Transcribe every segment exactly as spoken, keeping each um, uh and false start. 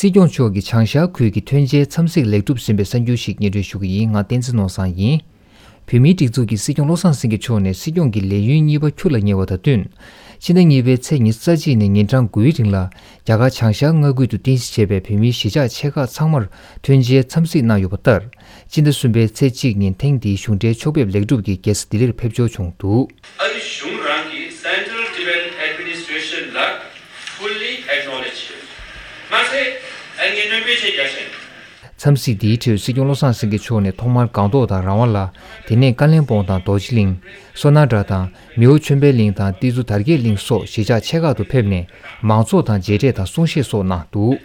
སྲིད་སྐྱོང་མཆོག་གིས་བྱང་ཤར་ཁུལ་གྱི་ཐོན་འབྱེད་འཚམས་གཟིགས་ལེགས་གྲུབ་ཟིན་པའི་གསར་འགྱུར་ཞིག་སྙན་སྒྲོན་ཞུ་གི་ཡིན། ང་བསྟན་འཛིན་ནོར་བཟང་ཡིན། བོད་མིའི་སྒྲིག་འཛུགས་ཀྱི་སྲིད་སྐྱོང་བློ་བཟང་སེང་གེ་མཆོག་ནས་སྲིད་སྐྱོང་གི་ལས་ཡུན་གཉིས་པ་ཁྱོན་ལ་ཉེ་བ་དང་བསྟུན། ཕྱི་ཟླ་གཉིས་པའི་ཚེས་ཉི་ཤུ་རྩ་གཅིག་ནས་ཉིན་གྲངས་དགུའི་རིང་ལ་རྒྱ་གར་བྱང་ཤར་མངའ་ཁུལ་དུ་རྟེན་གཞི་བྱས་པའི་བོད་མིའི་གཞིས་ཆགས་ཆེ་ཁག་ཚང་མར་ཐོན་འབྱེད་འཚམས་གཟིགས་གནང་ཡོད་པ་ལྟར། ཕྱི་ཟླ་གསུམ་པའི་ཚེས་གཅིག་ཉིན་ཐེངས་འདིའི་གཞུང་འབྲེལ་ཕྱོགས་ཕེབས་ལེགས་གྲུབ་ཀྱིས་རྒྱལ་ས་ལྡི་ལིར་ཕེབས་འབྱོར་བྱུང་འདུག། ཨ་རི་གཞུང་རང་གིས་Central Tibetan Administration ལ་fully acknowledge བྱས། མ་ཟད་ཨ་ནི་སྣོན་པའི་ཆེད་རྒྱ་ཆེན། འཚམས་གཟིགས་འདིའི་ཁྲོད་སྲིད་སྐྱོང་བློ་བཟང་སེང་གེ་མཆོག་ནས་ཐོག་མར་སྒང་ཏོག་དང་རང་དབང་ལ། དེ་ནས་ཀ་ལན་སྦོང་དང་རྡོ་རྗེ་གླིང་། སོ་ན་སྒྲ་དང་མེའོ་ཆོས་འཕེལ་གླིང་དང་ཏི་ཛུ་དར་རྒྱས་གླིང་སོགས་གཞིས་ཆགས་ཆེ་ཁག་ཏུ་ཕེབས་ནས་མང་ཚོགས་དང་མཇལ་འཕྲད་དང་གསུང་བཤད་སོགས་གནང་འདུག།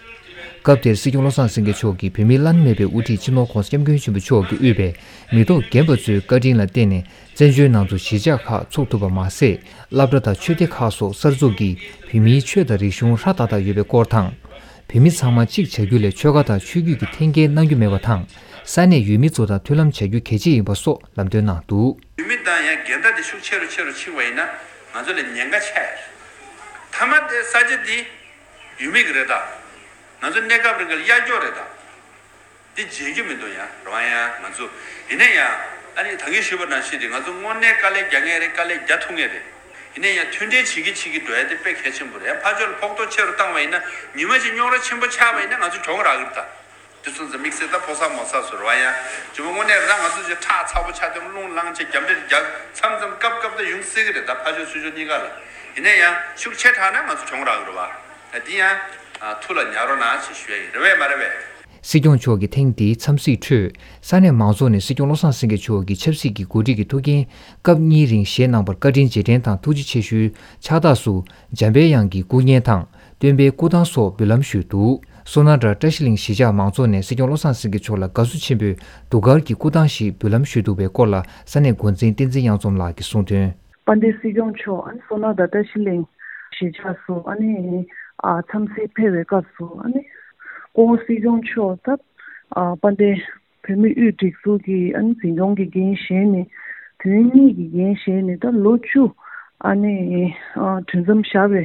སྐབས་དེར་སྲིད་སྐྱོང་བློ་བཟང་སེང་གེ་མཆོག་གིས་བོད་མིའི་བླ་ན་མེད་པའི་དབུ་ཁྲིད་སྤྱི་ནོར་༧གོང་ས་༧སྐྱབས་མགོན་ཆེན་པོ་མཆོག་གིས་དབུས་པའི་མི་ཐོག་རྒན་པ་ཚོའི་བཀའ་དྲིན་ལ་བརྟེན་ནས་བཙན་བྱོལ་ནང་དུ་གཞིས་ཆགས་ཁག་ཚུགས་ཐུབ་པ་མ་ཟད། སློབ་གྲྭ་དང་ཆོས་སྡེ་ཁག་སོགས་གསར་འཛུགས་ཀྱིས་བོད་མིའི་ཆོས་དང་རིག་གཞུང་ཧྲ་ཏག་ཏག་ཡོད་པའི་སྐོར་དང་། བོད་མི་ཚང་མ་གཅིག་བྱ་རྒྱུ་ལས་ཆོལ་ཁ་དང་ཆོས་བརྒྱུད་ཀྱི་འཐེན་འཁྱེར་གནང་རྒྱུ་མེད་པ་དང་། ས་གནས་ཡུལ་མི་ཚོ་དང་མཐུན་ལམ་བྱ་རྒྱུ་གལ་ཆེ་ཡིན་པ་སོགས་ལམ་སྟོན་གནང་འདུག། ཡུལ་མི་དང་ཡང་འགལ་ཟླ་དེ་ཤུགས་ཆེ་རུ་ཆེ་རུ་ཕྱིན་པ་ཡིན་ན་ང་ཚོ་ལ་ཉེན་ཁ་ཆེ་ཡ་རེད། མཐའ་མ་དེ་ས་ཆ་འདི་ཡུལ་མི་གི་རེད་ད། ང་ཚོ་གནས་སྐབས་རིང་གི་གཡར་འཁྱོག་རེད་ད། འདི་བརྗེད་རྒྱུ་མི་འདུག་ཡ། རེད་བ། ཡང་ང་ཚོ་ཡིན་ན་ཡང་ཨ་ནི་ད་གིན་ཞུས་པ་ནང་བཞིན་རེད། ང་ཚོ་དངོས་གནས་དཀའ་ལས་རྒྱག་མཁན་རེད། དཀའ་ལས་རྒྱག་ཐུབ་མཁན་རེད། ཡིན་ན་ཡང་མཐུན་སྒྲིལ་བྱེད་ཀྱི་བྱེད་ཀྱི་འགྲོ་ཡ་དེ་དཔེ་གལ་ཆེན་པོ་རེད། ཕར་ཕྱོགས་ལ་ཕོག་ཐུག་ཆེ་རུ་བཏང་བ་ཡིན་ན་ཉི་མ་གཅིག་རྙོག་དྲ་ཆེན་པོ་ཆགས་པ་ཡིན་ན་ང་ཚོ་གྱོང་རག་གི་རེད་ད། དེ་ཚོ་ཚོ་དམིགས་བསལ་ད་ཕོ་གསར་མོ་གསར་ཚོ་རེད་བ། ཡང་ཇོ་མོ་དངོས་གནས་རང་ང་ཚོ་ཅིག་ཁྲག་ཚ་པོ་ཆགས་དུས་རླུང་ལངས་བྱས་རྒྱབ་འདྲེ་རྒྱག་མཚམས་མཚམས་སྐབས་སྐབས་ད་ཡོང་སྲིད་ཀྱི་རེད་ད། ཕར་ཕྱོགས་ཚུར་ཕྱོགས་གཉིས་ཀ་ལ། ཡིན་ན་ཡང་ཤུགས་ཆེ་དྲགས་ན་ང་ཚོ་གྱོང་རག་གི་རེད་བ། འདི་ཡང་ཐུགས་ལ་ཉར་རོགས་གནང་ཞེས་ཞུ་ཡ་ཡིན། རེད་བས་མ་རེད་བས། སྲིད་སྐྱོང་མཆོག་གི་ཐེངས་འདིའི་འཚམས་གཟིགས་ཁྲོད་ས་གནས་མང་ཚོགས་ནས་སྲིད་སྐྱོང་བློ་བཟང་སེང་གེ་མཆོག་གི་ཆབ་སྲིད་ཀྱི་འགོ་ཁྲིད་ཀྱི་ཐུགས་འགན་སྐབས་གཉིས་རིང་བཞེས་གནང་བར་བཀའ་དྲིན་རྗེས་དྲན་དང་ཐུགས་རྗེ་ཆེ་ཞུའི་ཕྱག་རྟགས་སུ་འཇམ་པའི་དབྱངས་ཀྱི་སྐུ་བརྙན་དང་། སྟོན་པའི་སྐུ་ཐང་སོགས་འབུལ་ལམ་ཞུས་འདུག། སོ་ན་སྒྲ་བཀྲ་ཤིས་གླིང་གཞིས་ཆགས་མང་ཚོགས་ནས་སྲིད་སྐྱོང་བློ་བཟང་སེང་གེ་མཆོག་ལ་དགའ་བསུ་ཆེན་པོས་གདུགས་དཀར་གྱི་སྐུ་ཐང་ཞིག་འབུལ་ལམ་ཞུས་འདུག་པའི་སྐོར་ལ་ས་གནས་འགོ་འཛིན་བསྟན་འཛིན་གཡང་འཛོམས་ལགས་ཀྱིས་གསུངས་དོན། དཔལ་ལྡན་སྲིད་སྐྱོང་མཆོག་ཨ་ནི་སོ་ན་སྒྲ་བཀྲ་ཤིས་གླིང་གཞིས་ཆགས་སུ་ཨ་ནི་ཨ་འཚམས་གཟིགས་ཕེབས་པའི་སྐབས་སུ་ཨ་ནི་སྐུ་ངོ་སྲིད་སྐྱོང་མཆོག་ད་ཨ་དཔལ་ལྡན་བོད་མིའི་དབུས་སྒྲིག་འཛུགས་ཀྱི་ཨ་ནི་འཛིན་སྐྱོང་གི་འགན་བཞེས་ནས་དོན་གཉིས་ཀྱི་འགན་བཞེས་ནས་ད་ལོ་བཅུ་ཨ་ནི་ཨ་གྲོས་འཆམ་བཞག་པའི་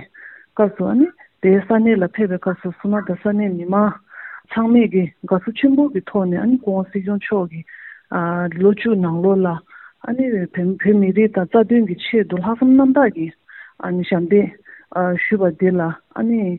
སྐབས་སུ་ཨ་ནི། དེའི་ས་གནས་ལ་ཕེབས་པའི་སྐབས་སུ་སོ་ན་སྒྲ་ས་གནས་མི་མང་ཚང་མས་ཀྱི་དགའ་བསུ་ཆེན་པོ་གི་ཐོག་ནས་ཨ་ནི་སྐུ་ངོ་སྲིད་སྐྱོང་མཆོག་གིས་ཨ་ལོ་བཅུ་ནང་ལོགས་ལ་ཨ་ནི་བོད་བོད་མི་རིགས་དང་རྩ་དོན་གྱི་ཆེད་དུ་ལྷག་བསམ་རྣམ་དག་གིས་ཨ་ནི་ཞབས་འདེགས་ཨ་ཞུས་པ་འདི་ལ་ཨ་ནི་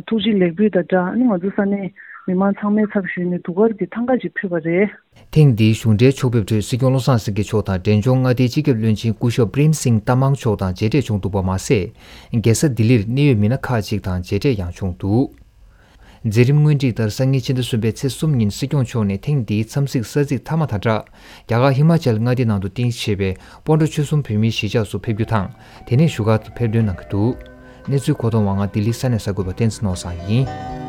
ཐུགས་རྗེ་ལེགས་འབུལ་དང་སྦྲགས་ཨ་ནི་ང་ཚོ་ས་གནས་མི་མང་ཚང་མའི་ཚབ་ཞུས་ནས་གདུགས་དཀར་གྱི་ཐང་ག་ཅིག་ཕུལ་བ་རེད། ཐེངས་འདིའི་གཞུང་འབྲེལ་ཕྱོགས་ཕེབས་ཁྲོད་སྲིད་སྐྱོང་བློ་བཟང་སེང་གེ་མཆོག་དང་འབྲས་ལྗོངས་མངའ་སྡེའི་སྤྱི་ཁྱབ་བློན་ཆེན་སྐུ་ཞབས་པྲེམ་སིང་ཏ་མང་མཆོག་དང་མཇལ་འཕྲད་བྱུང་འདུག་པ་མ་ཟད། རྒྱལ་ས་ལྡི་ལིར་གནད་ཡོད་མི་སྣ་ཁག་ཅིག་དང་མཇལ་འཕྲད་ཡང་བྱུང་འདུག། མཛད་རིམ་སྔོན་སྒྲིག་ལྟར་སང་ཉིན་ཕྱི་ཟླ་གསུམ་པའི་ཚེས་གསུམ་ཉིན་སྲིད་སྐྱོང་མཆོག་ནས་ཐེངས་འདིའི་འཚམས་གཟིགས་ས་ཚིགས་མཐའ་མ་དང་སྦྲགས། རྒྱ་གར་ཧི་མ་ཅལ་མངའ་སྡེ་ནང་དུ་རྟེན་གཞི་བྱས་པའི་སྤོན་ཊ་ཆོལ་གསུམ་བོད་མིའི་གཞིས་ཆགས་སུ་ཕེབས་རྒྱུ་དང་། དེ་ནས་བཞུགས་སྒར་དུ་ཕེབས་འདུན་གནང་གི་འདུག། གནས་ཚུལ་མཁོ་གཏོང་བ་ང་ལྡི་ལི་ས་གནས་གསར་འགོད་པ་བསྟན་འཛིན་ནོར་བཟང་ཡིན།